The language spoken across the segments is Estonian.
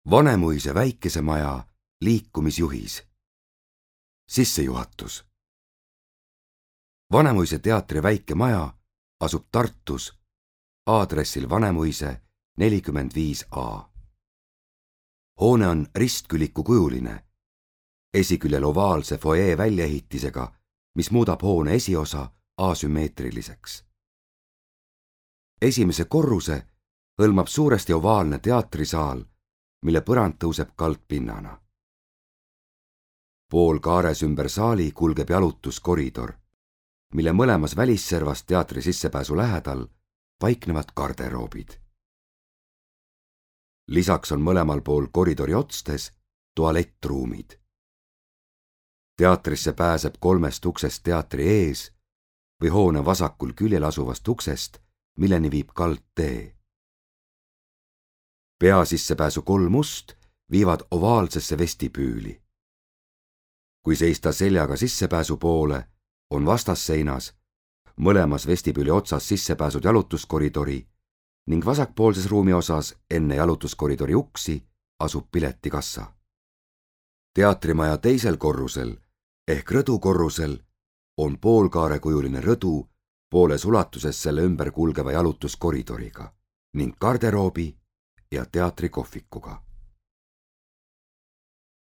Vanemuise väikesemaja liikumisjuhis. Sissejuhatus. Vanemuise teatri väike maja asub Tartus aadressil Vanemuise 45A. Hoone on ristkülikukujuline, esiküljel ovaalse foajee väljaehitisega, mis muudab hoone esiosa asümmeetriliseks. Esimese korruse hõlmab suuresti ovaalne teatrisaal, mille põrand tõuseb kaldpinnana. Poolkaares ümber saali kulgeb jalutuskoridor, mille mõlemas välisservas teatri sissepääsu lähedal paiknevad garderoobid. Lisaks on mõlemal pool koridori otstes tualettruumid. Teatrisse pääseb 3 uksest teatri ees või hoone vasakul küljel asuvast uksest, milleni viib kaldtee. Peasissepääsu 3 ust viivad ovaalsesse vestibüüli. Kui seista seljaga sissepääsu poole, on vastasseinas mõlemas vestibüüli otsas sissepääsud jalutuskoridori ning vasakpoolses ruumi osas enne jalutuskoridori uksi asub piletikassa. Teatrimaja teisel korrusel ehk rõdukorrusel on poolkaarekujuline rõdu pooles ulatuses selle ümber kulgeva jalutuskoridoriga ning garderoobi ja teatrikohvikuga.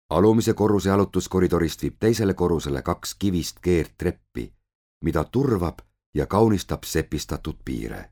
Alumise korruse jalutuskoridorist viib teisele korrusele 2 kivist keerdtreppi, mida turvab ja kaunistab sepistatud piire.